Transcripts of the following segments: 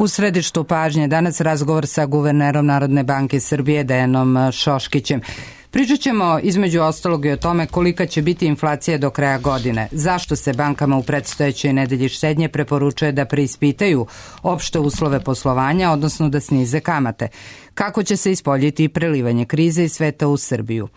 U središtu pažnje danas razgovor sa guvernerom Narodne banke Srbije Dejanom Šoškićem. Pričat ćemo između ostalog i o tome kolika će biti inflacija do kraja godine, zašto se bankama u predstojećoj nedelji štednje preporučuje da preispitaju opšte uslove poslovanja, odnosno da snize kamate, kako će se ispoljiti prelivanje krize iz sveta u Srbiju.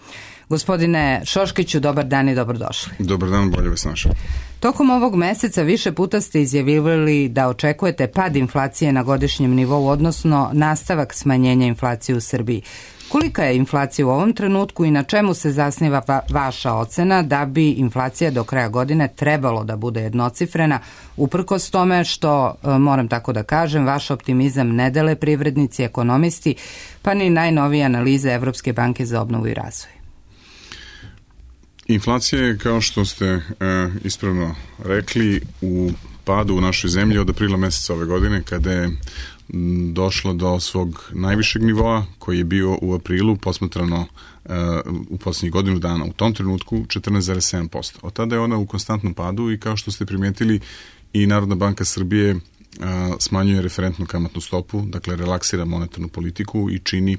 Gospodine Šoškiću, dobar dan i dobrodošli. Dobar dan, bolje vas našao. Tokom ovog meseca više puta ste izjavljivali da očekujete pad inflacije na godišnjem nivou, odnosno nastavak smanjenja inflacije u Srbiji. Kolika je inflacija u ovom trenutku i na čemu se zasniva vaša ocena da bi inflacija do kraja godine trebalo da bude jednocifrena, uprkos tome što, moram tako da kažem, vaš optimizam ne dele privrednici, ekonomisti, pa ni najnovije analize Evropske banke za obnovu i razvoj? Inflacija je, kao što ste ispravno rekli, u padu u našoj zemlji od aprila meseca ove godine, kada je došlo do svog najvišeg nivoa, koji je bio u aprilu, posmatrano u posljednjih godinu dana, u tom trenutku 14,7%. Od tada je ona u konstantnom padu i, kao što ste primijetili, i Narodna banka Srbije smanjuje referentnu kamatnu stopu, dakle relaksira monetarnu politiku i čini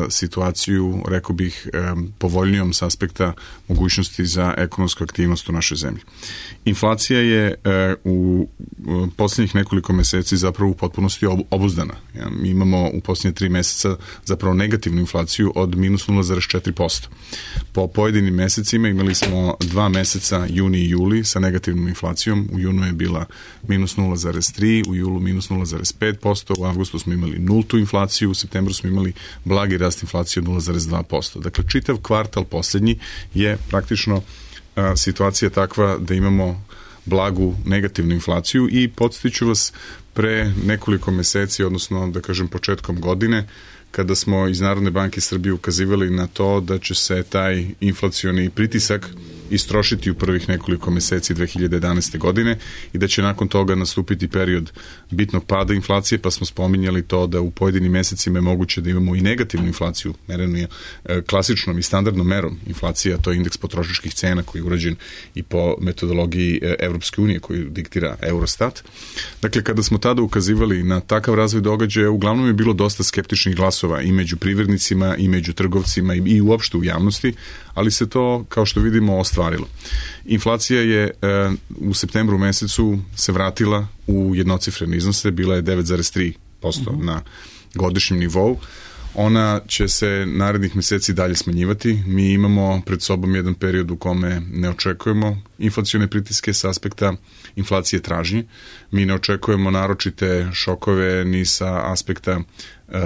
situaciju, rekao bih, povoljnijom s aspekta mogućnosti za ekonomsku aktivnost u našoj zemlji. Inflacija je u posljednjih nekoliko meseci zapravo u potpunosti obuzdana. Mi imamo u posljednje 3 meseca zapravo negativnu inflaciju od minus 0,4%. Po pojedinim mesecima imali smo 2 meseca, juni i juli, sa negativnom inflacijom. U junu je bila minus 0,3%, u julu minus 0,5%, u avgustu smo imali nultu inflaciju, u septembru smo imali blagi rast inflacije od 0,2%. Dakle, čitav kvartal posljednji je praktično situacija takva da imamo blagu negativnu inflaciju i podsjeću vas, pre nekoliko meseci, odnosno da kažem početkom godine, kada smo iz Narodne banke Srbije ukazivali na to da će se taj inflacioni pritisak istrošiti u prvih nekoliko meseci 2011. godine i da će nakon toga nastupiti period bitnog pada inflacije, pa smo spominjali to da u pojedinim mesecima je moguće da imamo i negativnu inflaciju, merenu je klasičnom i standardnom merom inflacija, to je indeks potrošačkih cena koji je urađen i po metodologiji Evropske unije koju diktira Eurostat. Dakle, kada smo tada ukazivali na takav razvoj događaja, uglavnom je bilo dosta skeptičnih glasova i među privrednicima i među trgovcima i uopšte u javnosti, ali se to, kao što vidimo, ostvarilo. Inflacija je u septembru mesecu se vratila u jednocifrene iznose, bila je 9,3% na godišnjem nivou. Ona će se narednih meseci dalje smanjivati. Mi imamo pred sobom jedan period u kome ne očekujemo inflacione pritiske s aspekta inflacije tražnje. Mi ne očekujemo naročite šokove ni sa aspekta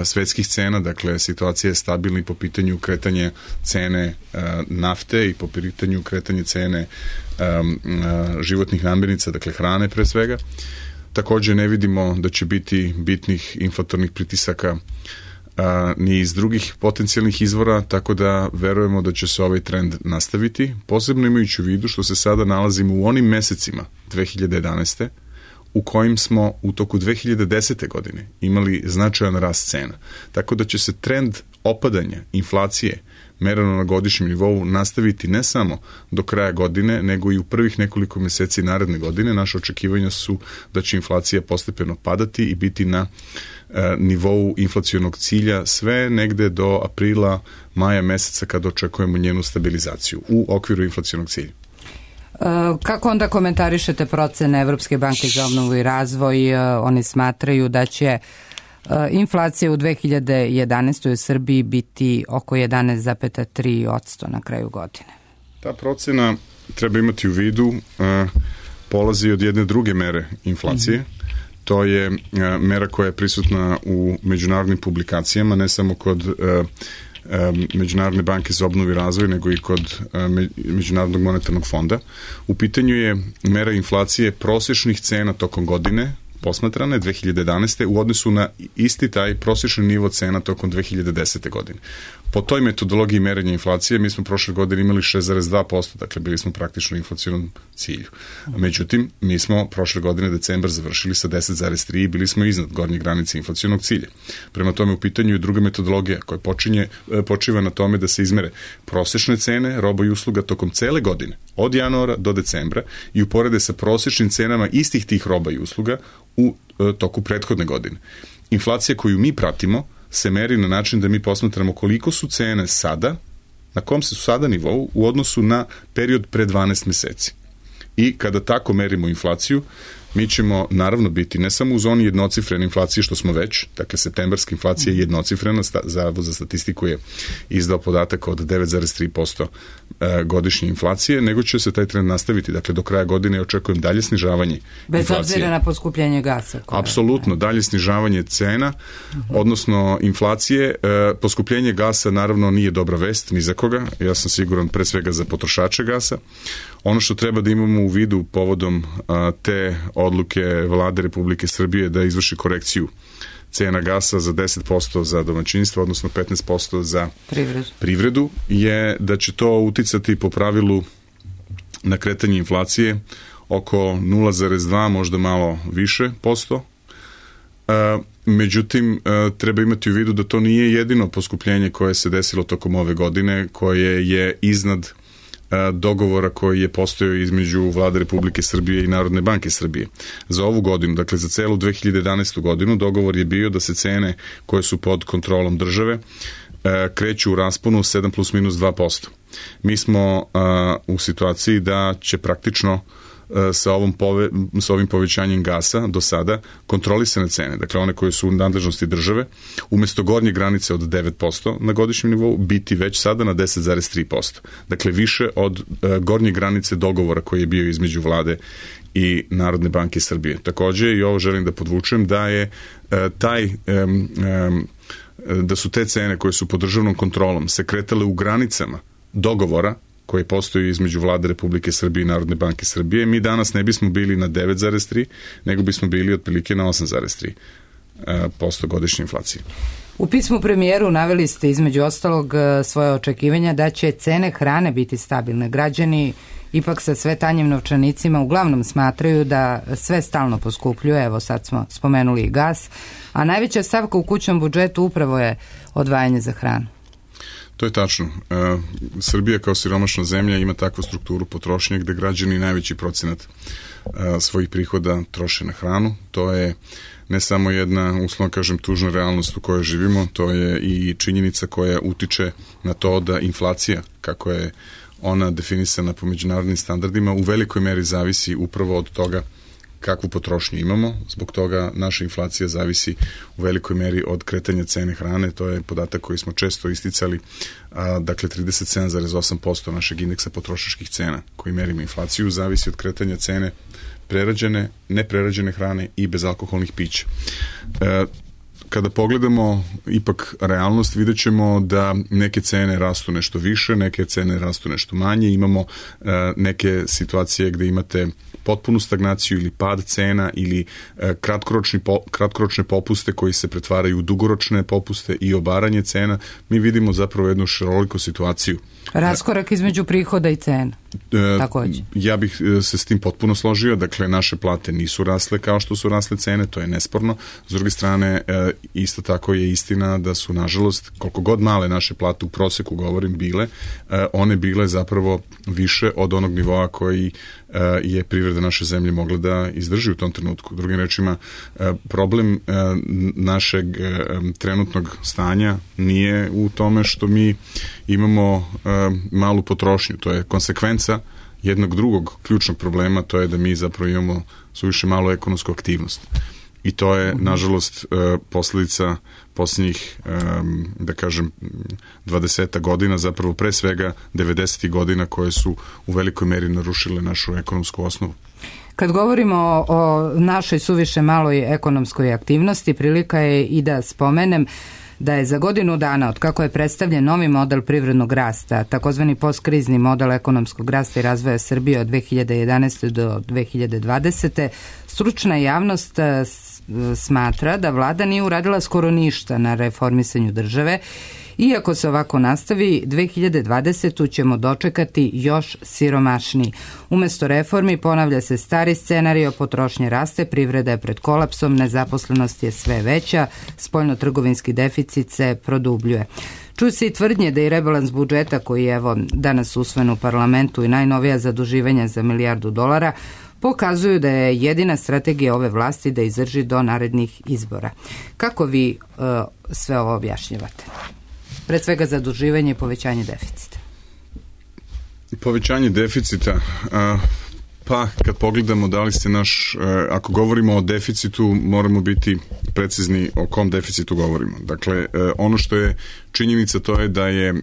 svetskih cena, dakle situacija je stabilna i po pitanju kretanje cene nafte i po pitanju kretanje cene životnih namirnica, dakle hrane pre svega. Također ne vidimo da će biti bitnih inflatornih pritisaka ni iz drugih potencijalnih izvora, tako da verujemo da će se ovaj trend nastaviti, posebno imajući u vidu što se sada nalazimo u onim mesecima 2011. u kojim smo u toku 2010. godine imali značajan rast cena. Tako da će se trend opadanja inflacije mereno na godišnjem nivou nastaviti ne samo do kraja godine, nego i u prvih nekoliko meseci naredne godine. Naše očekivanja su da će inflacija postepeno padati i biti na nivou inflacionog cilja sve negde do aprila, maja meseca kada očekujemo njenu stabilizaciju u okviru inflacionog cilja. Kako onda komentarišete procene Evropske banke za obnovu i razvoj? Oni smatraju da će inflacija u 2011. u Srbiji biti oko 11,3% na kraju godine. Ta procena, treba imati u vidu, polazi od jedne druge mere inflacije. To je mera koja je prisutna u međunarodnim publikacijama, ne samo kod Međunarodne banke za obnovu i razvoj, nego i kod Međunarodnog monetarnog fonda. U pitanju je mera inflacije prosječnih cena tokom godine, posmatrane 2011. u odnosu na isti taj prosječni nivo cena tokom 2010. godine. Po toj metodologiji merenja inflacije mi smo prošle godine imali 6,2%, dakle bili smo praktično u inflacionom cilju. Međutim, mi smo prošle godine decembar završili sa 10,3 i bili smo iznad gornje granice inflacionog cilja. Prema tome u pitanju je druga metodologija koja počiva na tome da se izmere prosječne cene roba i usluga tokom cele godine, od januara do decembra i uporede sa prosječnim cenama istih tih roba i usluga u toku prethodne godine. Inflacija koju mi pratimo se meri na način da mi posmatramo koliko su cene sada, na kom se su sada nivou u odnosu na period pre 12 meseci. I kada tako merimo inflaciju, mi ćemo naravno biti ne samo u zoni jednocifrene inflacije, što smo već, dakle septembarska inflacija je jednocifrena, Zavod za statistiku je izdao podatak od 9,3% godišnje inflacije, nego će se taj trend nastaviti, dakle do kraja godine očekujem dalje snižavanje inflacije. Bez obzira na poskupljenje gasa. Apsolutno, dalje snižavanje cena, odnosno inflacije. Poskupljenje gasa naravno nije dobra vest ni za koga, ja sam siguran pre svega za potrošače gasa. Ono što treba da imamo u vidu povodom te odluke Vlade Republike Srbije da izvrši korekciju cena gasa za 10% za domaćinstvo, odnosno 15% za privredu, je da će to uticati po pravilu na kretanje inflacije oko 0,2, možda malo više posto. Međutim, treba imati u vidu da to nije jedino poskupljenje koje se desilo tokom ove godine, koje je iznad dogovora koji je postojao između Vlade Republike Srbije i Narodne banke Srbije. Za ovu godinu, dakle za celu 2011. godinu, dogovor je bio da se cene koje su pod kontrolom države kreću u rasponu 7 plus minus 2%. Mi smo u situaciji da će praktično sa ovim povećanjem gasa do sada kontrolisane cene, dakle one koje su u nadležnosti države, umesto gornje granice od 9% na godišnjem nivou, biti već sada na 10,3%. Dakle, više od gornje granice dogovora koji je bio između Vlade i Narodne banke Srbije. Takođe, i ovo želim da podvučem, da je da su te cene koje su pod državnom kontrolom se kretale u granicama dogovora koji postoji između Vlade Republike Srbije i Narodne banke Srbije, mi danas ne bismo bili na 9,3, nego bismo bili otprilike na 8,3% godišnje inflacije. U pismu premijeru naveli ste između ostalog svoje očekivanja da će cene hrane biti stabilne. Građani ipak sa sve tanjim novčanicima uglavnom smatraju da sve stalno poskupljuje, evo sad smo spomenuli i gas, a najveća stavka u kućnom budžetu upravo je odvajanje za hranu. To je tačno. Srbija kao siromašna zemlja ima takvu strukturu potrošnje gde građani najveći procenat svojih prihoda troše na hranu. To je ne samo jedna, uslovno kažem, tužna realnost u kojoj živimo, to je i činjenica koja utiče na to da inflacija, kako je ona definisana po međunarodnim standardima, u velikoj meri zavisi upravo od toga kakvu potrošnju imamo. Zbog toga naša inflacija zavisi u velikoj meri od kretanja cene hrane. To je podatak koji smo često isticali. Dakle, 37,8% našeg indeksa potrošačkih cena koji merimo inflaciju zavisi od kretanja cene prerađene, neprerađene hrane i bezalkoholnih pića. Kada pogledamo ipak realnost, vidjet ćemo da neke cene rastu nešto više, neke cene rastu nešto manje. Imamo neke situacije gde imate potpunu stagnaciju ili pad cena ili kratkoročne popuste koji se pretvaraju u dugoročne popuste i obaranje cena. Mi vidimo zapravo jednu šaroliku situaciju. Raskorak između prihoda i cena. Takođe. Ja bih se s tim potpuno složio, dakle naše plate nisu rasle kao što su rasle cene, to je nesporno. S druge strane, isto tako je istina da su, nažalost, koliko god male naše plate u proseku, govorim, bile, one bile zapravo više od onog nivoa koji je privreda naše zemlje mogla da izdrži u tom trenutku. Drugim rečima, problem našeg trenutnog stanja nije u tome što mi imamo malu potrošnju, to je konsekvenca jednog drugog ključnog problema, to je da mi zapravo imamo suviše malu ekonomsku aktivnost. I to je, nažalost, posledica posljednjih, da kažem, 20 godina, zapravo pre svega 90. godina koje su u velikoj meri narušile našu ekonomsku osnovu. Kad govorimo o našoj suviše maloj ekonomskoj aktivnosti, prilika je i da spomenem da je za godinu dana, od kako je predstavljen novi model privrednog rasta, takozvani postkrizni model ekonomskog rasta i razvoja Srbije od 2011. do 2020. stručna javnost smatra da vlada nije uradila skoro ništa na reformisanju države Iako se ovako nastavi, 2020. ćemo dočekati još siromašniji. Umesto reformi ponavlja se stari scenario, potrošnje raste, privreda je pred kolapsom, nezaposlenost je sve veća, spoljno-trgovinski deficit se produbljuje. Čuju se i tvrdnje da i rebalans budžeta koji je danas usvojen u parlamentu i najnovija zaduživanja za $1 milijardu pokazuju da je jedina strategija ove vlasti da izdrži do narednih izbora. Kako vi sve ovo objašnjavate? Pre svega zaduživanje i povećanje deficita. Povećanje deficita, pa kad pogledamo da li ste ako govorimo o deficitu, moramo biti precizni o kom deficitu govorimo. Dakle, ono što je činjenica to je da je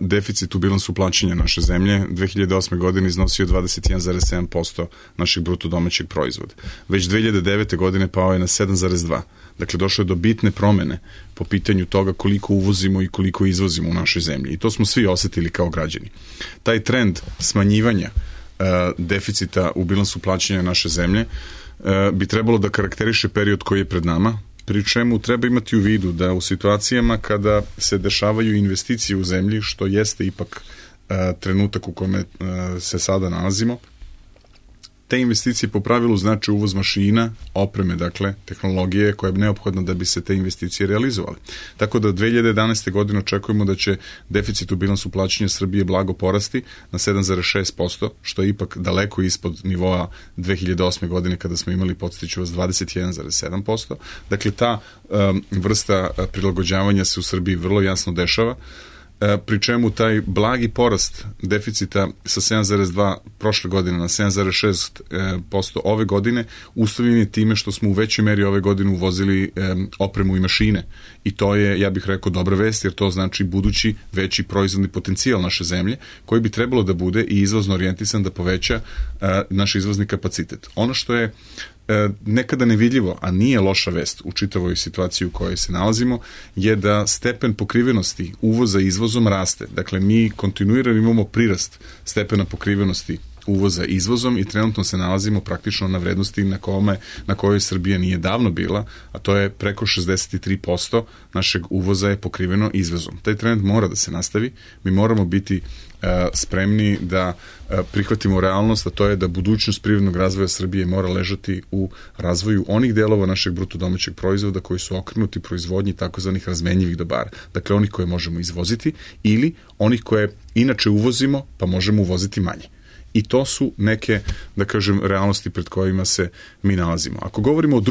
deficit u bilansu plaćanja naše zemlje 2008. godine iznosio 21,7% našeg bruto domaćeg proizvoda. Već 2009. godine pao je na 7,2%. Dakle, došlo je do bitne promene po pitanju toga koliko uvozimo i koliko izvozimo u našoj zemlji. I to smo svi osetili kao građani. Taj trend smanjivanja deficita u bilansu plaćanja naše zemlje bi trebalo da karakteriše period koji je pred nama, pri čemu treba imati u vidu da u situacijama kada se dešavaju investicije u zemlji, što jeste ipak trenutak u kome se sada nalazimo, te investicije po pravilu znači uvoz mašina, opreme, dakle, tehnologije koja je neophodna da bi se te investicije realizovali. Tako da 2011. godine očekujemo da će deficit u bilansu plaćanja Srbije blago porasti na 7,6%, što je ipak daleko ispod nivoa 2008. godine kada smo imali, podsjeću vas, 21,7%. Dakle, ta vrsta prilagođavanja se u Srbiji vrlo jasno dešava, pri čemu taj blagi porast deficita sa 7,2 prošle godine na 7,6% ove godine uslovljen je time što smo u većoj meri ove godine uvozili opremu i mašine. I to je, ja bih rekao, dobra vest, jer to znači budući veći proizvodni potencijal naše zemlje, koji bi trebalo da bude i izvozno orijentisan da poveća naš izvozni kapacitet. Ono što je nekada nevidljivo, a nije loša vest u čitavoj situaciji u kojoj se nalazimo, je da stepen pokrivenosti uvoza izvozom raste. Dakle, mi kontinuirano imamo prirast stepena pokrivenosti uvoza izvozom i trenutno se nalazimo praktično na vrednosti na kojoj Srbija nije davno bila, a to je preko 63% našeg uvoza je pokriveno izvozom. Taj trend mora da se nastavi, mi moramo biti spremni da prihvatimo realnost, a to je da budućnost privrednog razvoja Srbije mora ležati u razvoju onih delova našeg bruto domaćeg proizvoda koji su okrenuti proizvodnji takozvanih razmenjivih dobara. Dakle, onih koje možemo izvoziti ili onih koje inače uvozimo pa možemo uvoziti manje. I to su neke, da kažem, realnosti pred kojima se mi nalazimo. Ako govorimo o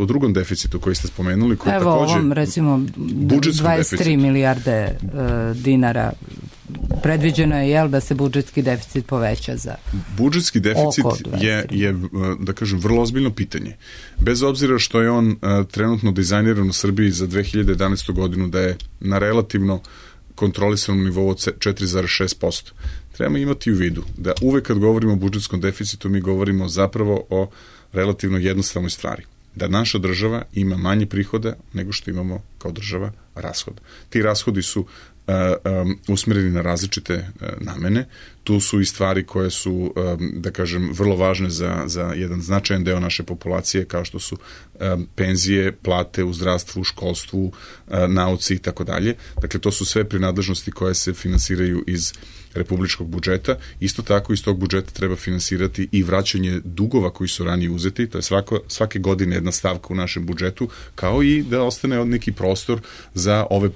drugom deficitu koji ste spomenuli, koji takođe... Evo ovom, recimo, 23 milijarde dinara predviđeno je, da se budžetski deficit poveća za budžetski deficit je, da kažem, vrlo ozbiljno pitanje. Bez obzira što je on trenutno dizajniran u Srbiji za 2011. godinu da je na relativno kontrolisanom nivou od 4,6%. Trebamo imati u vidu da uvek kad govorimo o budžetskom deficitu mi govorimo zapravo o relativno jednostavnoj stvari. Da naša država ima manje prihoda nego što imamo kao država rashoda. Ti rashodi su usmereni na različite namene. Tu su i stvari koje su, da kažem, vrlo važne za jedan značajan deo naše populacije, kao što su penzije, plate u zdravstvu, školstvu, nauci i tako dalje. Dakle, to su sve prinadležnosti koje se finansiraju iz republičkog budžeta. Isto tako iz tog budžeta treba finansirati i vraćanje dugova koji su ranije uzeti. To je svake godine jedna stavka u našem budžetu, kao i da ostane neki prostor za ove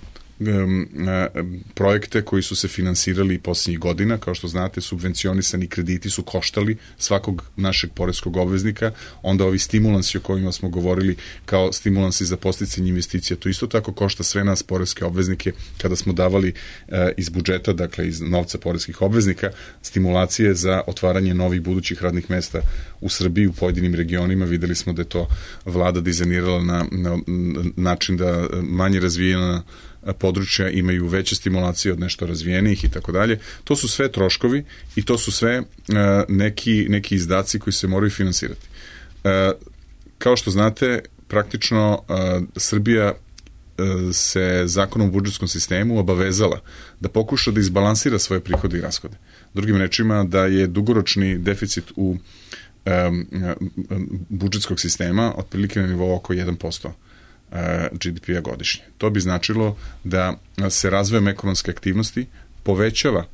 projekte koji su se finansirali posljednjih godina. Kao što znate, subvencionisani krediti su koštali svakog našeg poreskog obveznika. Onda ovi stimulansi o kojima smo govorili kao stimulansi za podsticanje investicija, to isto tako košta sve nas poreske obveznike kada smo davali iz budžeta, dakle iz novca poreskih obveznika, stimulacije za otvaranje novih budućih radnih mesta u Srbiji, u pojedinim regionima. Videli smo da je to vlada dizajnirala na način da manje razvijena područja imaju veće stimulacije od nešto razvijenijih i tako dalje. To su sve troškovi i to su sve neki izdaci koji se moraju finansirati. Kao što znate, praktično Srbija se zakonom o budžetskom sistemu obavezala da pokuša da izbalansira svoje prihode i rashode. Drugim rečima, da je dugoročni deficit u budžetskog sistema otprilike na nivou oko 1% GDP-a godišnje. To bi značilo da se razvojem ekonomske aktivnosti povećava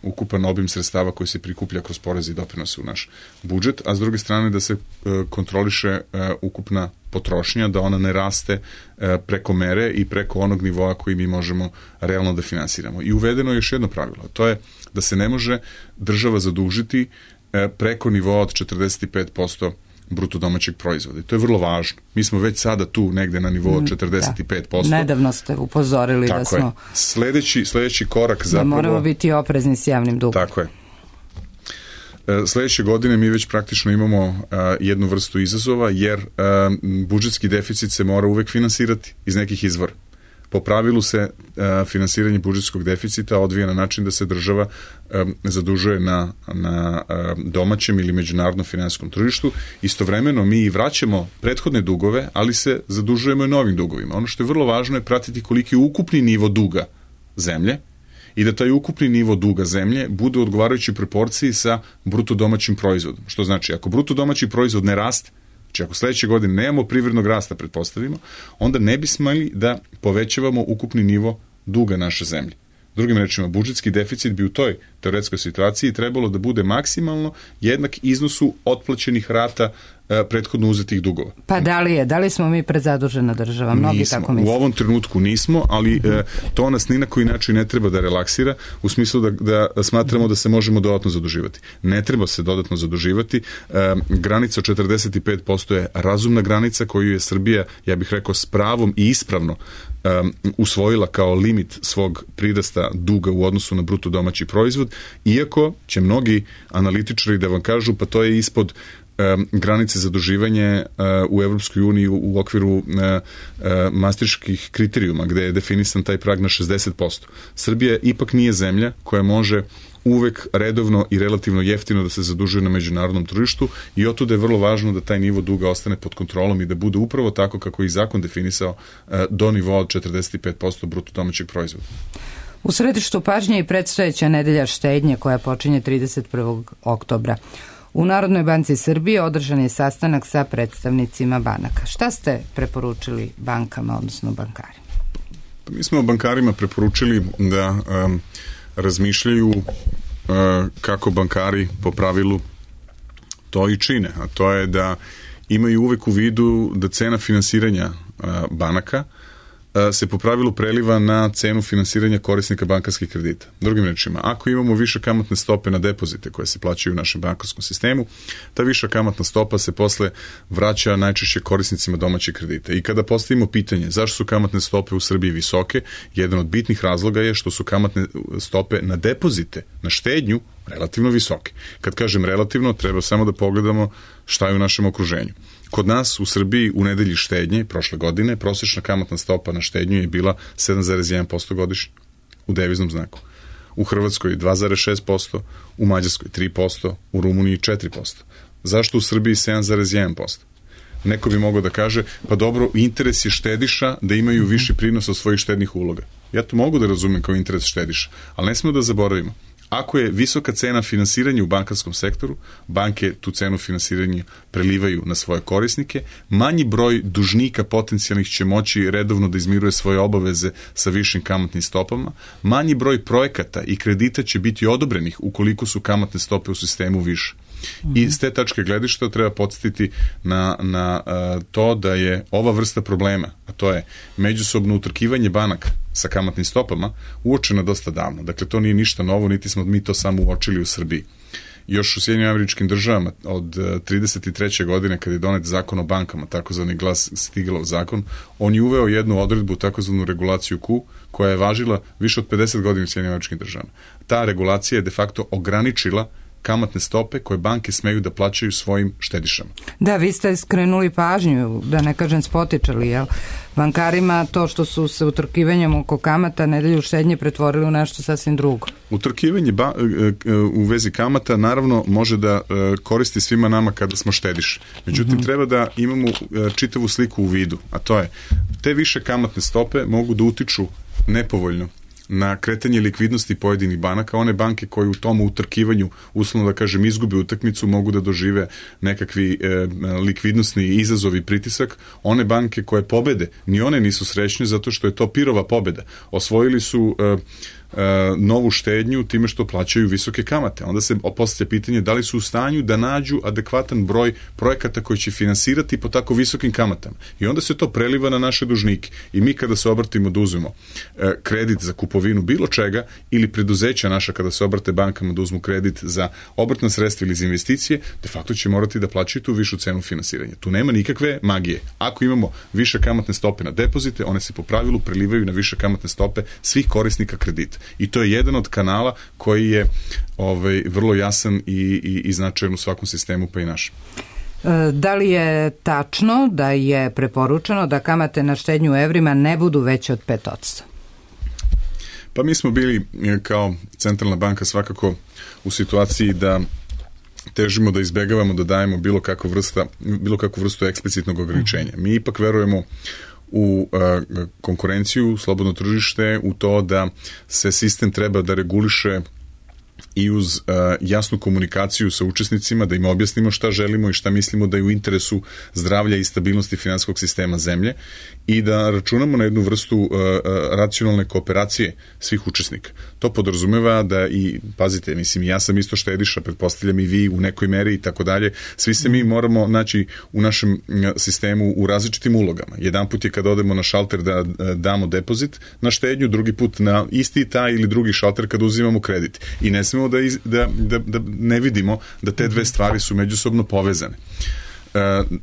ukupan obim sredstava koji se prikuplja kroz poreze i doprinose u naš budžet, a s druge strane da se kontroliše ukupna potrošnja, da ona ne raste preko mere i preko onog nivoa koji mi možemo realno da finansiramo. I uvedeno je još jedno pravilo, to je da se ne može država zadužiti preko nivoa od 45% bruto domaćeg proizvoda. I to je vrlo važno. Mi smo već sada tu negde na nivou 45%. Da. Nedavno ste upozorili tako da smo... Sledeći korak zapravo... Da moramo biti oprezni s javnim dugom. Tako je. Sledeće godine mi već praktično imamo jednu vrstu izazova, jer budžetski deficit se mora uvek finansirati iz nekih izvora. Po pravilu se finansiranje budžetskog deficita odvija na način da se država zadužuje na domaćem ili međunarodnom finansijskom tržištu. Istovremeno mi i vraćamo prethodne dugove, ali se zadužujemo i novim dugovima. Ono što je vrlo važno je pratiti koliki je ukupni nivo duga zemlje i da taj ukupni nivo duga zemlje bude u odgovarajućoj proporciji sa bruto domaćim proizvodom. Što znači, ako bruto domaći proizvod ne raste, znači ako sledeće godine nemamo privrednog rasta, pretpostavimo, onda ne bi smeli da povećavamo ukupni nivo duga naše zemlje. Drugim rečima, budžetski deficit bi u toj teoretskoj situaciji trebalo da bude maksimalno jednak iznosu otplaćenih rata prethodno uzetih dugova. Pa da li smo mi prezadužena država? Mnogi nismo, tako misle. U ovom trenutku nismo, ali to nas ni na koji način ne treba da relaksira, u smislu da smatramo da se možemo dodatno zaduživati. Ne treba se dodatno zaduživati. Granica od 45% je razumna granica koju je Srbija, ja bih rekao, s pravom i ispravno usvojila kao limit svog prirasta duga u odnosu na bruto domaći proizvod, iako će mnogi analitičari da vam kažu pa to je ispod granice zaduživanja u Evropskoj uniji u okviru maastrichtskih kriterijuma, gde je definisan taj prag na 60%. Srbija ipak nije zemlja koja može uvek redovno i relativno jeftino da se zadužuje na međunarodnom tržištu i otuda je vrlo važno da taj nivo duga ostane pod kontrolom i da bude upravo tako kako je i zakon definisao do nivoa od 45% bruto domaćeg proizvoda. U središtu pažnje i predstojeća nedelja štednje koja počinje 31. oktobra. U Narodnoj banci Srbije održan je sastanak sa predstavnicima banaka. Šta ste preporučili bankama, odnosno bankarima? Mi smo bankarima preporučili da razmišljaju kako bankari po pravilu to i čine, a to je da imaju uvek u vidu da cena finansiranja banaka se po pravilu preliva na cenu finansiranja korisnika bankarskih kredita. Drugim rečima, ako imamo više kamatne stope na depozite koje se plaćaju u našem bankarskom sistemu, ta viša kamatna stopa se posle vraća najčešće korisnicima domaćih kredita. I kada postavimo pitanje zašto su kamatne stope u Srbiji visoke, jedan od bitnih razloga je što su kamatne stope na depozite, na štednju, relativno visoke. Kad kažem relativno, treba samo da pogledamo šta je u našem okruženju. Kod nas u Srbiji u nedelji štednje prošle godine prosječna kamatna stopa na štednju je bila 7,1% godišnje u deviznom znaku. U Hrvatskoj 2,6%, u Mađarskoj 3%, u Rumuniji 4%. Zašto u Srbiji 7,1%? Neko bi mogao da kaže, pa dobro, interes je štediša da imaju viši prinos od svojih štednih uloga. Ja to mogu da razumem kao interes štediša, ali ne smemo da zaboravimo. Ako je visoka cena finansiranja u bankarskom sektoru, banke tu cenu finansiranja prelivaju na svoje korisnike, manji broj dužnika potencijalnih će moći redovno da izmiruje svoje obaveze sa višim kamatnim stopama, manji broj projekata i kredita će biti odobrenih ukoliko su kamatne stope u sistemu više. I s te tačke gledišta treba podsjetiti na to da je ova vrsta problema, a to je međusobno utrkivanje banaka sa kamatnim stopama, uočena dosta davno. Dakle, to nije ništa novo, niti smo mi to samo uočili u Srbiji. Još u Sjedinjenim Američkim Državama od 33. godine kada je donet zakon o bankama, takozvani Glass-Steagallov zakon, on je uveo jednu odredbu, takozvanu regulaciju Q, koja je važila više od 50 godina u Sjedinjenim Američkim Državama. Ta regulacija je de facto ograničila kamatne stope koje banke smeju da plaćaju svojim štedišama. Da, vi ste skrenuli pažnju, da ne kažem spotičali, jel? Bankarima to što su se utrkivanjem oko kamata nedelju štednje pretvorili u nešto sasvim drugo. Utrkivanje u vezi kamata naravno može da koristi svima nama kada smo štediši. Međutim, treba da imamo čitavu sliku u vidu, a to je te više kamatne stope mogu da utiču nepovoljno na kretanje likvidnosti pojedinih banaka. One banke koje u tom utrkivanju, uslovno da kažem, izgube utakmicu, mogu da dožive nekakvi likvidnosni izazov i pritisak. One banke koje pobede, ni one nisu srećne zato što je to pirova pobeda. Osvojili su novu štednju time što plaćaju visoke kamate. Onda se postavlja pitanje da li su u stanju da nađu adekvatan broj projekata koji će finansirati po tako visokim kamatama. I onda se to preliva na naše dužnike. I mi kada se obratimo da uzmemo kredit za kupovinu bilo čega ili preduzeća naša kada se obrate bankama da uzmu kredit za obrtna sredstva ili za investicije, de facto će morati da plaćaju tu višu cenu finansiranja. Tu nema nikakve magije. Ako imamo više kamatne stope na depozite, one se po pravilu prelivaju na više kamatne stope svih korisnika kredita. I to je jedan od kanala koji je vrlo jasan i značajan u svakom sistemu, pa i našem. Da li je tačno da je preporučeno da kamate na štednju u evrima ne budu veće od 5%? Pa mi smo bili kao centralna banka svakako u situaciji da težimo da izbegavamo da dajemo bilo kakvu vrstu eksplicitnog ograničenja. Mi ipak verujemo u konkurenciju, slobodno tržište, u to da se sistem treba da reguliše i uz jasnu komunikaciju sa učesnicima, da im objasnimo šta želimo i šta mislimo da je u interesu zdravlja i stabilnosti finansijskog sistema zemlje i da računamo na jednu vrstu racionalne kooperacije svih učesnika. To podrazumeva da i, pazite, mislim, ja sam isto štediša, pretpostavljam i vi u nekoj meri i tako dalje, svi se mi moramo naći u našem sistemu u različitim ulogama. Jedan put je kada odemo na šalter da damo depozit na štednju, drugi put na isti taj ili drugi šalter kada uzimamo kredit. I ne smemo da ne vidimo da te dve stvari su međusobno povezane.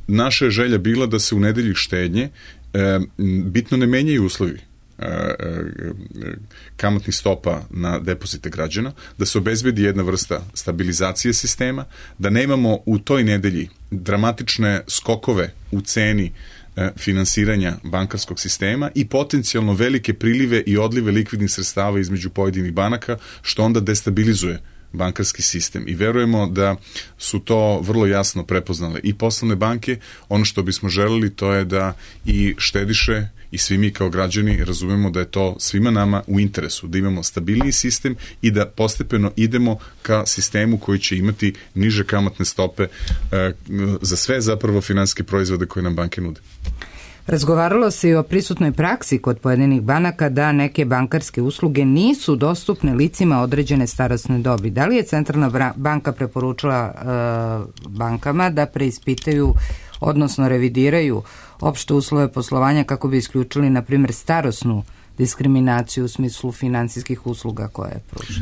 Naša je želja bila da se u nedelji štednje bitno ne menjaju uslovi kamatnih stopa na depozite građana, da se obezbedi jedna vrsta stabilizacije sistema, da nemamo u toj nedelji dramatične skokove u ceni finansiranja bankarskog sistema i potencijalno velike prilive i odlive likvidnih sredstava između pojedinih banaka, što onda destabilizuje bankarski sistem. I verujemo da su to vrlo jasno prepoznale i poslovne banke. Ono što bismo želeli to je da i štediše i svi mi kao građani razumemo da je to svima nama u interesu, da imamo stabilniji sistem i da postepeno idemo ka sistemu koji će imati niže kamatne stope za sve zapravo finansijske proizvode koje nam banke nude. Razgovaralo se i o prisutnoj praksi kod pojedinih banaka da neke bankarske usluge nisu dostupne licima određene starosne dobi. Da li je Centralna banka preporučila bankama da preispitaju, odnosno revidiraju opšte uslove poslovanja kako bi isključili, na primjer, starosnu diskriminaciju u smislu finansijskih usluga koje pruža?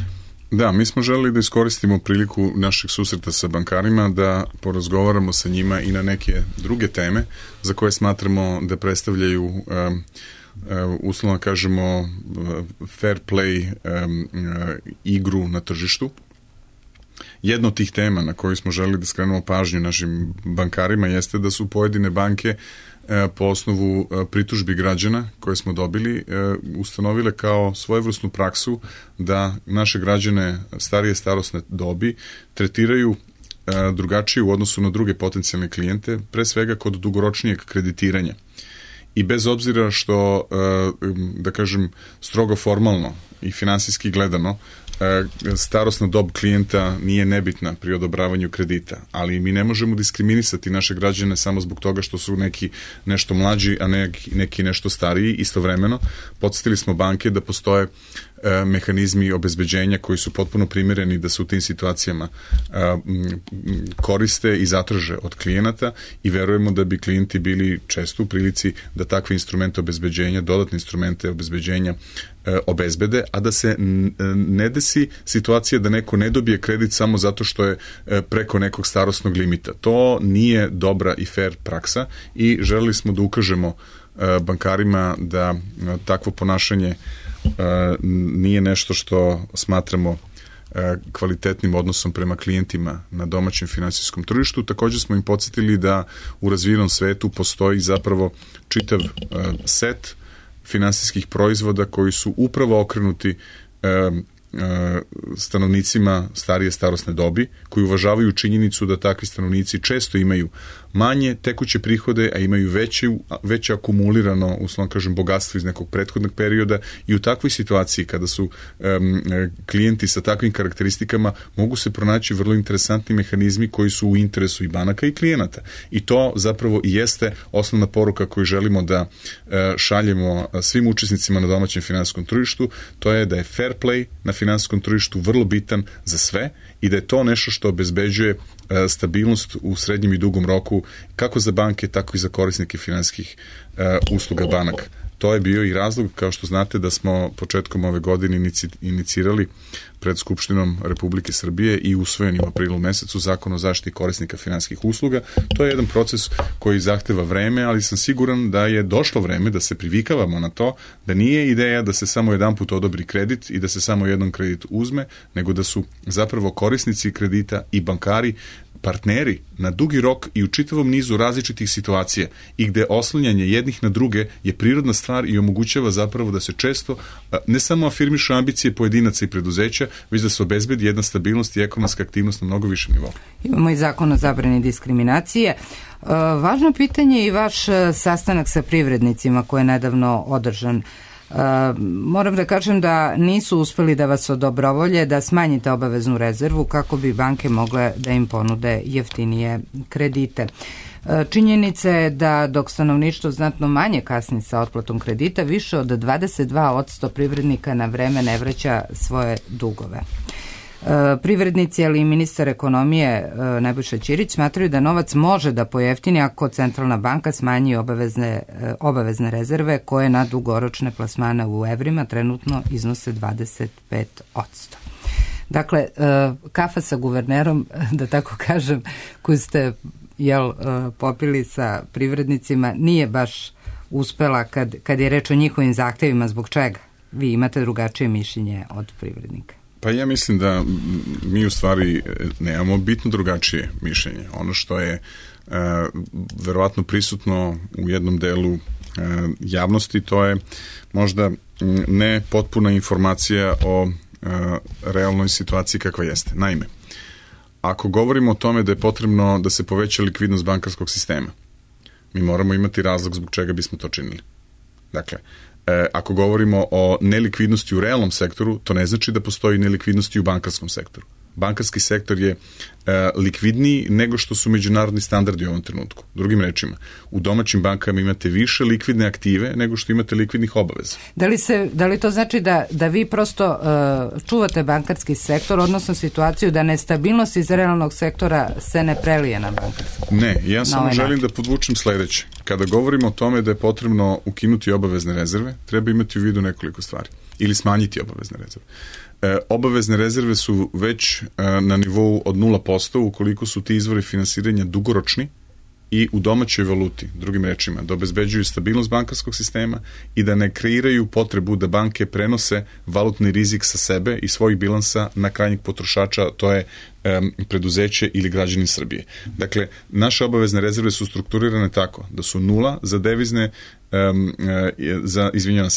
Da, mi smo želeli da iskoristimo priliku naših susreta sa bankarima da porazgovaramo sa njima i na neke druge teme za koje smatramo da predstavljaju uslovno kažemo fair play igru na tržištu. Jedna od tih tema na koju smo želeli da skrenemo pažnju našim bankarima jeste da su pojedine banke po osnovu pritužbi građana koje smo dobili ustanovile kao svojevrsnu praksu da naše građane starije starosne dobi tretiraju drugačije u odnosu na druge potencijalne klijente, pre svega kod dugoročnijeg kreditiranja. I bez obzira što, da kažem, strogo formalno i finansijski gledano, starosna dob klijenta nije nebitna pri odobravanju kredita, ali mi ne možemo diskriminisati naše građane samo zbog toga što su neki nešto mlađi, a neki nešto stariji. Istovremeno, podsjetili smo banke da postoje mehanizmi obezbeđenja koji su potpuno primjereni da se u tim situacijama koriste i zatraže od klijenata i verujemo da bi klijenti bili često u prilici da takve instrumente obezbeđenja, dodatne instrumente obezbeđenja obezbede, a da se ne desi situacija da neko ne dobije kredit samo zato što je preko nekog starosnog limita. To nije dobra i fair praksa i želeli smo da ukažemo bankarima da takvo ponašanje nije nešto što smatramo kvalitetnim odnosom prema klijentima na domaćem finansijskom tržištu. Također smo im podsjetili da u razvijenom svetu postoji zapravo čitav set finansijskih proizvoda koji su upravo okrenuti stanovnicima starije starosne dobi, koji uvažavaju činjenicu da takvi stanovnici često imaju manje tekuće prihode, a imaju veće akumulirano, uslovno kažem, bogatstvo iz nekog prethodnog perioda, i u takvoj situaciji kada su klijenti sa takvim karakteristikama mogu se pronaći vrlo interesantni mehanizmi koji su u interesu i banaka i klijenata. I to zapravo i jeste osnovna poruka koju želimo da šaljemo svim učesnicima na domaćem finansijskom tržištu, to je da je fair play na finansijskom tržištu vrlo bitan za sve i da je to nešto što obezbeđuje stabilnost u srednjem i dugom roku kako za banke, tako i za korisnike finansijskih usluga banaka. To je bio i razlog, kao što znate, da smo početkom ove godine inicirali pred Skupštinom Republike Srbije i usvojen u aprilu mesecu Zakon o zaštiti korisnika finansijskih usluga. To je jedan proces koji zahteva vreme, ali sam siguran da je došlo vreme da se privikavamo na to, da nije ideja da se samo jedanput odobri kredit i da se samo jednom kredit uzme, nego da su zapravo korisnici kredita i bankari partneri na dugi rok i u čitavom nizu različitih situacija i gde oslanjanje jednih na druge je prirodna stvar i omogućava zapravo da se često ne samo afirmišu ambicije pojedinaca i preduzeća, već da se obezbedi jedna stabilnost i ekonomska aktivnost na mnogo višem nivou. Imamo i zakon o zabrani diskriminacije. Važno pitanje je i vaš sastanak sa privrednicima koji je nedavno održan. Moram da kažem da nisu uspeli da vas odobrovolje da smanjite obaveznu rezervu kako bi banke mogle da im ponude jeftinije kredite. Činjenica je da dok stanovništvo znatno manje kasni sa otplatom kredita, više od 22% privrednika na vreme ne vraća svoje dugove. Privrednici, ali i ministar ekonomije Nebojša Ćirić smatraju da novac može da pojeftini ako centralna banka smanji obavezne rezerve koje na dugoročne plasmane u evrima trenutno iznose 25%. Dakle, kafa sa guvernerom, da tako kažem, koju ste popili sa privrednicima, nije baš uspela kad je reč o njihovim zahtevima. Zbog čega? Vi imate drugačije mišljenje od privrednika. Pa ja mislim da mi u stvari nemamo bitno drugačije mišljenje. Ono što je verovatno prisutno u jednom delu javnosti, to je možda ne potpuna informacija o realnoj situaciji kakva jeste. Naime, ako govorimo o tome da je potrebno da se poveća likvidnost bankarskog sistema, mi moramo imati razlog zbog čega bismo to činili. Dakle, ako govorimo o nelikvidnosti u realnom sektoru, to ne znači da postoji nelikvidnosti u bankarskom sektoru. Bankarski sektor je likvidniji nego što su međunarodni standardi u ovom trenutku. Drugim rečima, u domaćim bankama imate više likvidne aktive nego što imate likvidnih obaveza. Da li to znači da vi prosto čuvate bankarski sektor, odnosno situaciju da nestabilnost iz realnog sektora se ne prelije na bankarski? Ne, ja samo želim da podvučem sledeće. Kada govorimo o tome da je potrebno ukinuti obavezne rezerve, treba imati u vidu nekoliko stvari. Ili smanjiti obavezne rezerve. Obavezne rezerve su već na nivou od 0% ukoliko su ti izvori finansiranja dugoročni i u domaćoj valuti, drugim rečima, da obezbeđuju stabilnost bankarskog sistema i da ne kreiraju potrebu da banke prenose valutni rizik sa sebe i svojih bilansa na krajnjeg potrošača, to je preduzeće ili građani Srbije. Dakle, naše obavezne rezerve su strukturirane tako da su 0 za devizne,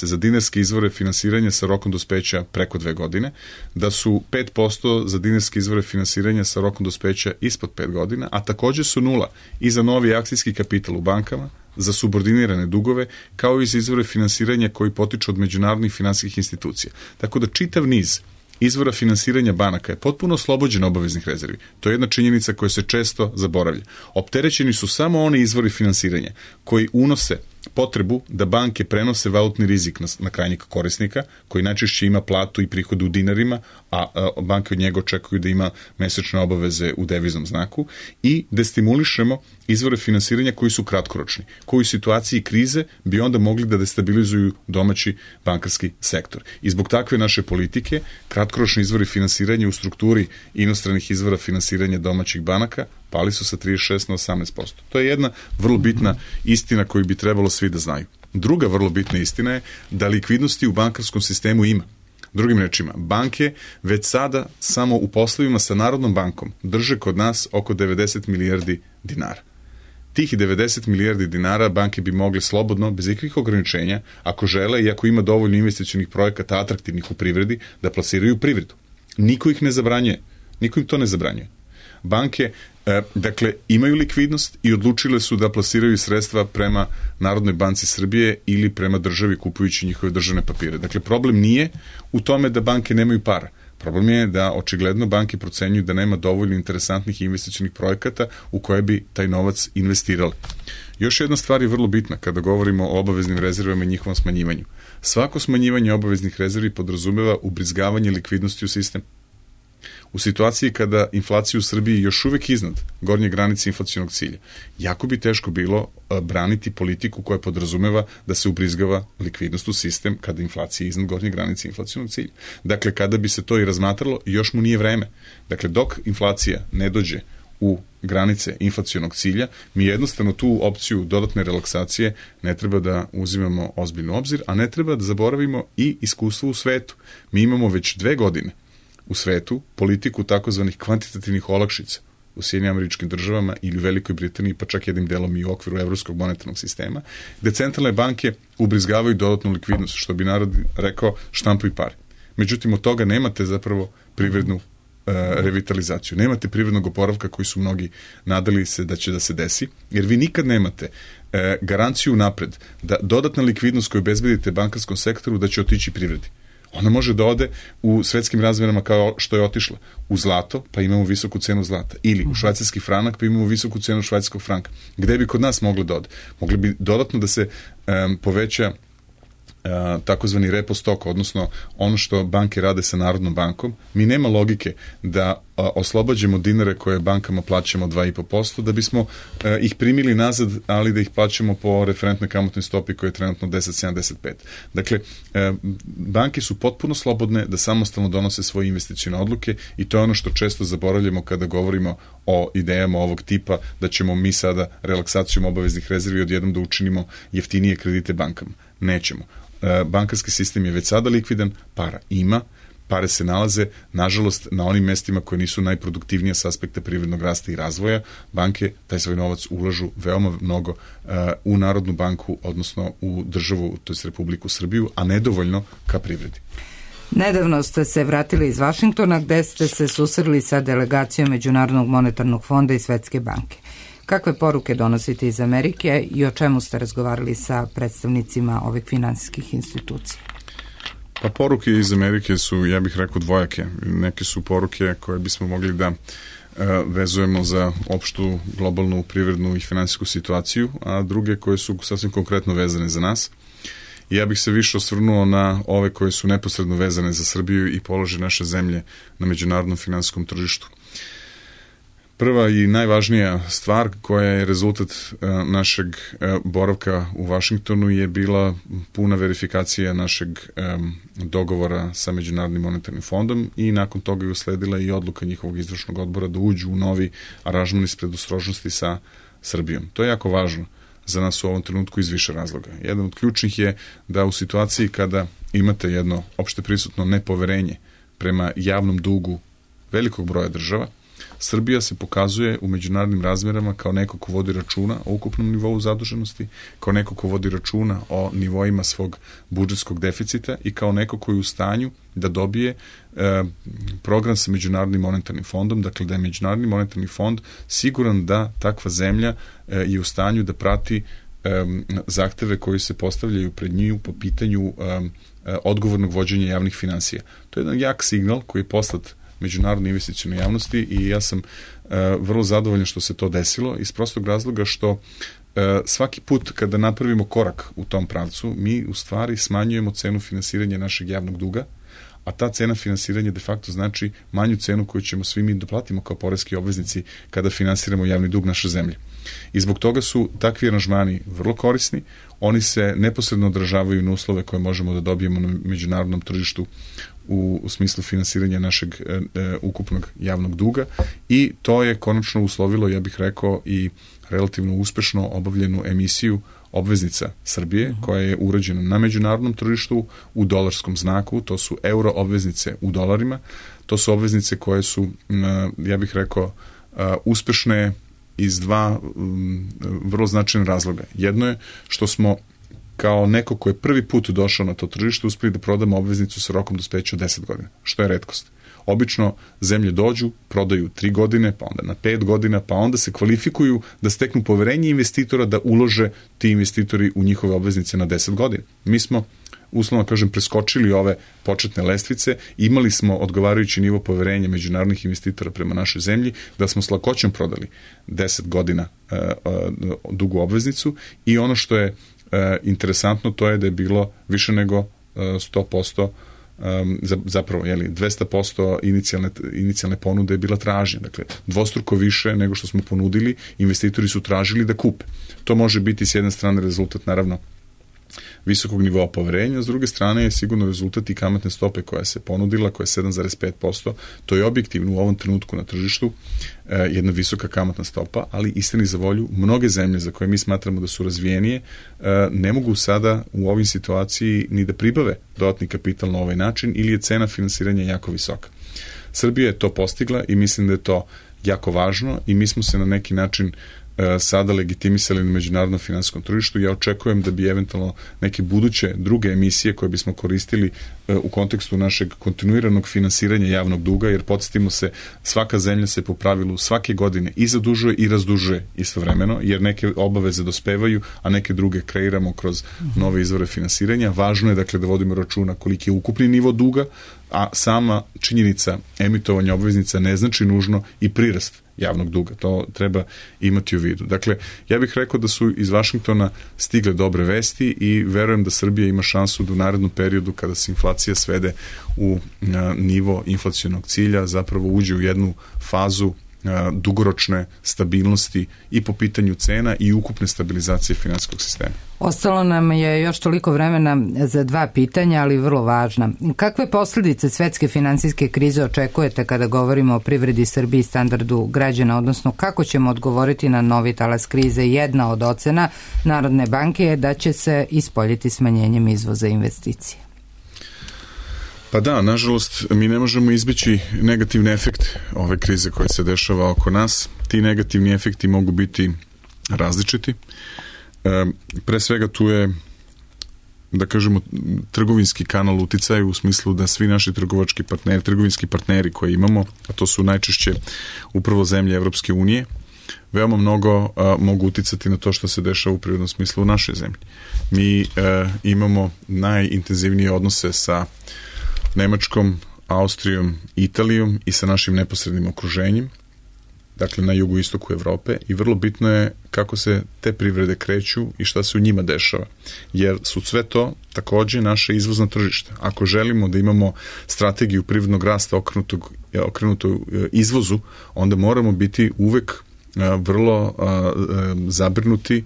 za dinarske izvore finansiranja sa rokom dospeća preko 2 godine, da su 5% za dinarske izvore finansiranja sa rokom dospeća ispod 5 godina, a takođe su 0 i za novi akcijski kapital u bankama, za subordinirane dugove, kao i za izvore finansiranja koji potiču od međunarodnih finansijskih institucija. Tako da čitav niz izvora finansiranja banaka je potpuno oslobođen obaveznih rezervi. To je jedna činjenica koja se često zaboravlja. Opterećeni su samo oni izvori finansiranja koji unose potrebu da banke prenose valutni rizik na krajnjeg korisnika, koji najčešće ima platu i prihode u dinarima, a banke od njega očekuju da ima mesečne obaveze u deviznom znaku, i destimulišemo izvore finansiranja koji su kratkoročni, koji u situaciji krize bi onda mogli da destabilizuju domaći bankarski sektor. I zbog takve naše politike, kratkoročni izvori finansiranja u strukturi inostranih izvora finansiranja domaćih banaka pali su sa 36 na 18%. To je jedna vrlo bitna istina koju bi trebalo svi da znaju. Druga vrlo bitna istina je da likvidnosti u bankarskom sistemu ima. Drugim rečima, banke već sada samo u poslovima sa Narodnom bankom drže kod nas oko 90 milijardi dinara. Tih 90 milijardi dinara banke bi mogle slobodno, bez ikakvih ograničenja, ako žele i ako ima dovoljno investicionih projekata atraktivnih u privredi, da plasiraju u privredu. Niko ih ne zabranjuje. Niko im to ne zabranjuje. Banke Dakle, imaju likvidnost i odlučile su da plasiraju sredstva prema Narodnoj banci Srbije ili prema državi kupujući njihove državne papire. Dakle, problem nije u tome da banke nemaju para. Problem je da očigledno banke procenjuju da nema dovoljno interesantnih investicionih projekata u koje bi taj novac investirali. Još jedna stvar je vrlo bitna kada govorimo o obaveznim rezervama i njihovom smanjivanju. Svako smanjivanje obaveznih rezervi podrazumeva ubrizgavanje likvidnosti u sistem. U situaciji kada inflacija u Srbiji još uvek iznad gornje granice inflacionog cilja, jako bi teško bilo braniti politiku koja podrazumeva da se ubrizgava likvidnost u sistem kada inflacija je iznad gornje granice inflacionog cilja. Dakle, kada bi se to i razmatralo, još mu nije vreme. Dakle, dok inflacija ne dođe u granice inflacionog cilja, mi jednostavno tu opciju dodatne relaksacije ne treba da uzimamo ozbiljno obzir, a ne treba da zaboravimo i iskustvo u svetu. Mi imamo već 2 godine u svetu politiku takozvanih kvantitativnih olakšica u Sjedinjenim Američkim Državama ili u Velikoj Britaniji, pa čak jednim delom i u okviru Evropskog monetarnog sistema, gde centralne banke ubrizgavaju dodatnu likvidnost, što bi narod rekao štampuj pare. Međutim, od toga nemate zapravo privrednu revitalizaciju. Nemate privrednog oporavka koji su mnogi nadali se da će da se desi, jer vi nikad nemate garanciju napred da dodatna likvidnost koju obezbedite bankarskom sektoru da će otići privredi. Ona može da ode u svetskim razmjerama kao što je otišla. U zlato, pa imamo visoku cenu zlata. Ili u švajcarski franak, pa imamo visoku cenu švajcarskog franka. Gde bi kod nas moglo da ode? Mogli bi dodatno da se poveća takozvani repo stok, odnosno ono što banke rade sa Narodnom bankom. Mi nema logike da oslobađamo dinare koje bankama plaćamo 2,5%, da bismo ih primili nazad, ali da ih plaćamo po referentnoj kamatnoj stopi koja je trenutno 10,75. Dakle, banke su potpuno slobodne da samostalno donose svoje investicione odluke i to je ono što često zaboravljamo kada govorimo o idejama ovog tipa da ćemo mi sada relaksacijom obaveznih rezervi odjednom da učinimo jeftinije kredite bankama. Nećemo. Bankarski sistem je već sada likvidan, para ima, pare se nalaze, nažalost, na onim mestima koje nisu najproduktivnije s aspekta privrednog rasta i razvoja. Banke taj svoj novac ulažu veoma mnogo u Narodnu banku, odnosno u državu, to je Republiku Srbiju, a nedovoljno ka privredi. Nedavno ste se vratili iz Vašingtona gde ste se susreli sa delegacijom Međunarodnog monetarnog fonda i Svetske banke. Kakve poruke donosite iz Amerike i o čemu ste razgovarali sa predstavnicima ovih finansijskih institucija? Pa poruke iz Amerike su, ja bih rekao, dvojake. Neke su poruke koje bismo mogli da vezujemo za opštu globalnu privrednu i finansijsku situaciju, a druge koje su sasvim konkretno vezane za nas. Ja bih se više osvrnuo na ove koje su neposredno vezane za Srbiju i položaj naše zemlje na međunarodnom finansijskom tržištu. Prva i najvažnija stvar koja je rezultat našeg boravka u Vašingtonu je bila puna verifikacija našeg dogovora sa Međunarodnim monetarnim fondom i nakon toga je usledila i odluka njihovog izvršnog odbora da uđu u novi aranžman iz predostrožnosti sa Srbijom. To je jako važno za nas u ovom trenutku iz više razloga. Jedan od ključnih je da u situaciji kada imate jedno opšte prisutno nepoverenje prema javnom dugu velikog broja država, Srbija se pokazuje u međunarodnim razmerama kao neko ko vodi računa o ukupnom nivou zaduženosti, kao neko ko vodi računa o nivoima svog budžetskog deficita i kao neko koji je u stanju da dobije program sa Međunarodnim monetarnim fondom, dakle da je Međunarodni monetarni fond siguran da takva zemlja je u stanju da prati zahteve koji se postavljaju pred njiju po pitanju odgovornog vođenja javnih finansija. To je jedan jak signal koji je poslat međunarodne investicione javnosti i ja sam vrlo zadovoljan što se to desilo iz prostog razloga što svaki put kada napravimo korak u tom pravcu, mi u stvari smanjujemo cenu finansiranja našeg javnog duga, a ta cena finansiranja de facto znači manju cenu koju ćemo svi mi doplatimo kao poreski obveznici kada finansiramo javni dug naše zemlje. I zbog toga su takvi aranžmani vrlo korisni, oni se neposredno odražavaju na uslove koje možemo da dobijemo na međunarodnom tržištu u smislu finansiranja našeg ukupnog javnog duga i to je konačno uslovilo, ja bih rekao, i relativno uspešno obavljenu emisiju obveznica Srbije, koja je urađena na međunarodnom tržištu u dolarskom znaku, to su euro obveznice u dolarima, to su obveznice koje su, ja bih rekao, uspešne iz dva vrlo značajna razloga. Jedno je što smo kao neko ko je prvi put došao na to tržište uspeli da prodamo obveznicu sa rokom dospeća od 10 godina, što je retkost. Obično zemlje dođu, prodaju 3 godine, pa onda na 5 godina, pa onda se kvalifikuju da steknu poverenje investitora da ulože ti investitori u njihove obveznice na 10 godina. Mi smo uslovno kažem, preskočili ove početne lestvice, imali smo odgovarajući nivo poverenja međunarodnih investitora prema našoj zemlji, da smo s lakoćom prodali 10 godina dugu obveznicu i ono što je interesantno to je da je bilo više nego 100%, zapravo 200% inicijalne ponude je bila tražnja, dakle dvostruko više nego što smo ponudili, investitori su tražili da kupe. To može biti s jedne strane rezultat naravno visokog nivoa poverenja, s druge strane je sigurno rezultat i kamatne stope koja se ponudila, koja je 7,5%, to je objektivno u ovom trenutku na tržištu jedna visoka kamatna stopa, ali istini za volju, mnoge zemlje za koje mi smatramo da su razvijenije, ne mogu sada u ovoj situaciji ni da pribave dodatni kapital na ovaj način ili je cena finansiranja jako visoka. Srbija je to postigla i mislim da je to jako važno i mi smo se na neki način sada legitimisali na međunarodnom finansijskom tržištu. Ja očekujem da bi eventualno neke buduće druge emisije koje bismo koristili u kontekstu našeg kontinuiranog finansiranja javnog duga, jer podsjetimo se, svaka zemlja se po pravilu svake godine i zadužuje i razdužuje istovremeno, jer neke obaveze dospevaju, a neke druge kreiramo kroz nove izvore finansiranja. Važno je dakle da vodimo računa koliki je ukupni nivo duga, a sama činjenica emitovanja obveznica ne znači nužno i prirast javnog duga. To treba imati u vidu. Dakle, ja bih rekao da su iz Vašingtona stigle dobre vesti i verujem da Srbija ima šansu da u narednom periodu kada se inflacija svede u nivo inflacionog cilja zapravo uđe u jednu fazu dugoročne stabilnosti i po pitanju cena i ukupne stabilizacije finansijskog sistema. Ostalo nam je još toliko vremena za 2 pitanja, ali vrlo važna. Kakve posljedice svetske finansijske krize očekujete kada govorimo o privredi Srbiji i standardu građana, odnosno kako ćemo odgovoriti na novi talas krize? Jedna od ocena Narodne banke je da će se ispoljiti smanjenjem izvoza investicija. Pa da, nažalost, mi ne možemo izbjeći negativni efekt ove krize koja se dešava oko nas. Ti negativni efekti mogu biti različiti. Pre svega tu je, da kažemo, trgovinski kanal uticaja u smislu da svi naši trgovinski partneri koje imamo, a to su najčešće upravo zemlje Evropske unije, veoma mnogo mogu uticati na to što se dešava u prirodnom smislu u našoj zemlji. Mi imamo najintenzivnije odnose sa Nemačkom, Austrijom, Italijom i sa našim neposrednim okruženjem, dakle na jugoistoku Evrope, i vrlo bitno je kako se te privrede kreću i šta se u njima dešava, jer su sve to takođe naše izvozna tržišta. Ako želimo da imamo strategiju privrednog rasta okrenutu izvozu, onda moramo biti uvek vrlo zabrinuti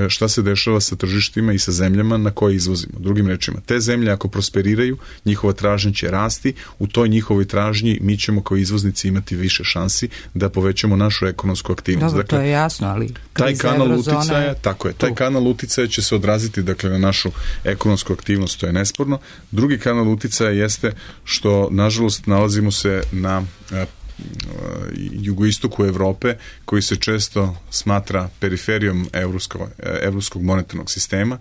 šta se dešava sa tržištima i sa zemljama na koje izvozimo. Drugim rečima, te zemlje ako prosperiraju, njihova tražnja će rasti, u toj njihovoj tražnji mi ćemo kao izvoznici imati više šansi da povećamo našu ekonomsku aktivnost. Dobro, dakle, to je jasno, ali taj kanal uticaja, tako je, taj kanal uticaja će se odraziti dakle na našu ekonomsku aktivnost, to je nesporno. Drugi kanal uticaja jeste što nažalost nalazimo se na jugoistoku Evrope, koji se često smatra periferijom evropskog monetarnog sistema,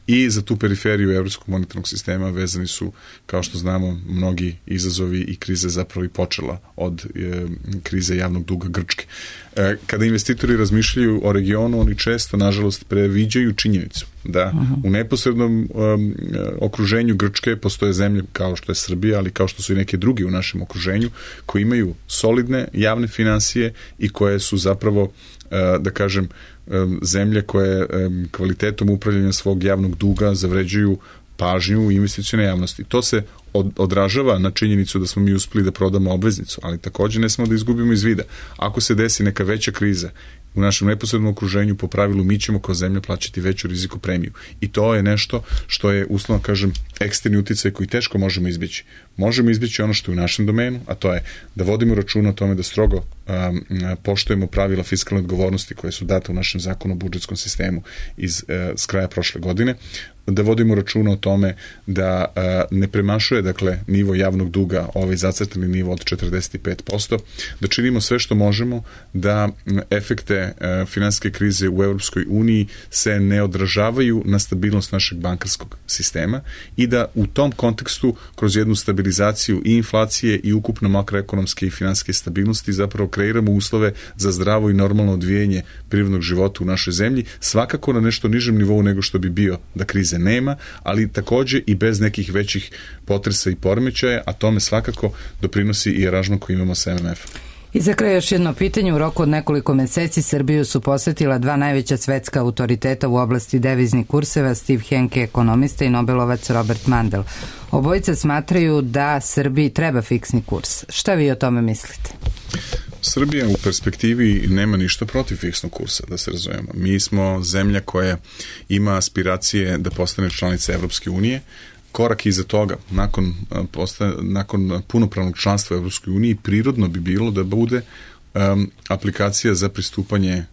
i za tu periferiju evropskog monetarnog sistema vezani su, kao što znamo, mnogi izazovi i krize zapravo i počela od krize javnog duga Grčke. Kada investitori razmišljaju o regionu, oni često, nažalost, previđaju činjenicu da u neposrednom okruženju Grčke postoje zemlje kao što je Srbija, ali kao što su i neke drugi u našem okruženju, koji imaju solidne javne finansije i koje su zapravo, da kažem, zemlje koje kvalitetom upravljanja svog javnog duga zavređuju pažnju investicione javnosti. To se odražava na činjenicu da smo mi uspeli da prodamo obveznicu, ali takođe ne smemo da izgubimo iz vida. Ako se desi neka veća kriza u našem neposrednom okruženju, po pravilu mi ćemo kao zemlja plaćati veću riziku premiju. I to je nešto što je, uslovno kažem, eksterni uticaj koji teško možemo izbjeći. Možemo izbjeći ono što je u našem domenu, a to je da vodimo računa o tome da strogo poštujemo pravila fiskalne odgovornosti koje su date u našem zakonu o budžetskom sistemu s kraja prošle godine, da vodimo računa o tome da ne premašuje, dakle, nivo javnog duga, ovaj zacrtani nivo od 45%, da činimo sve što možemo da efekte ove finansijske krize u Europskoj uniji se ne odražavaju na stabilnost našeg bankarskog sistema i da u tom kontekstu kroz jednu stabilizaciju i inflacije i ukupno makroekonomske i finansijske stabilnosti zapravo kreiramo uslove za zdravo i normalno odvijanje privrednog života u našoj zemlji, svakako na nešto nižem nivou nego što bi bio da krize nema, ali takođe i bez nekih većih potresa i poremećaja, a tome svakako doprinosi i aranžman koji imamo sa MMF-om. I za kraj još jedno pitanje. U roku od nekoliko meseci Srbiju su posetila dva najveća svetska autoriteta u oblasti deviznih kurseva, Steve Hanke, ekonomista, i Nobelovac Robert Mandel. Obojica smatraju da Srbiji treba fiksni kurs. Šta vi o tome mislite? Srbija u perspektivi nema ništa protiv fiksnog kursa, da se razumemo. Mi smo zemlja koja ima aspiracije da postane članica Evropske unije. Korak iza toga, nakon punopravnog članstva u Evropskoj uniji, prirodno bi bilo da bude aplikacija za pristupanje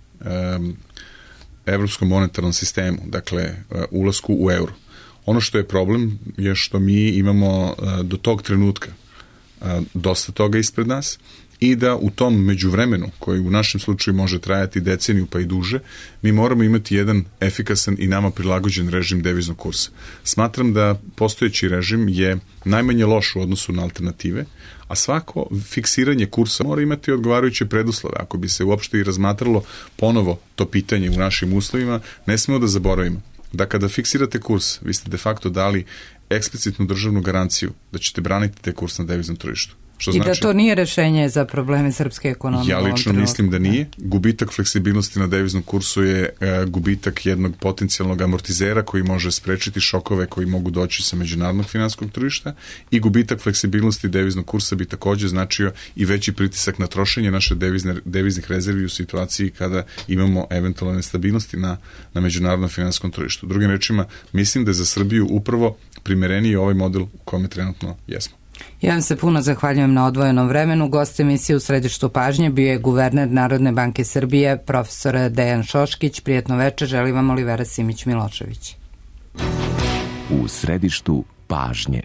Evropskom monetarnom sistemu, dakle ulasku u euro. Ono što je problem je što mi imamo do tog trenutka dosta toga ispred nas i da u tom međuvremenu, koji u našem slučaju može trajati deceniju pa i duže, mi moramo imati jedan efikasan i nama prilagođen režim deviznog kursa. Smatram da postojeći režim je najmanje loš u odnosu na alternative, a svako fiksiranje kursa mora imati odgovarajuće preduslove. Ako bi se uopšte i razmatralo ponovo to pitanje u našim uslovima, ne smemo da zaboravimo da kada fiksirate kurs, vi ste de facto dali eksplicitnu državnu garanciju da ćete braniti te kurs na deviznom tržištu. I da to nije rešenje za probleme srpske ekonomije? Ja lično mislim da nije. Gubitak fleksibilnosti na deviznom kursu je gubitak jednog potencijalnog amortizera koji može sprečiti šokove koji mogu doći sa međunarodnog finansijskog tržišta i gubitak fleksibilnosti deviznog kursa bi takođe značio i veći pritisak na trošenje naše deviznih rezervi u situaciji kada imamo eventualne nestabilnosti na međunarodnom finansijskom tržištu. Drugim rečima, mislim da je za Srbiju upravo primereniji ovaj model u kome trenutno jesmo. Ja vam se puno zahvaljujem na odvojenom vremenu. Gost emisije U središtu pažnje bio je guverner Narodne banke Srbije, profesor Dejan Šoškić. Prijetno večer, želi vam Olivera Simić-Milošević. U središtu pažnje.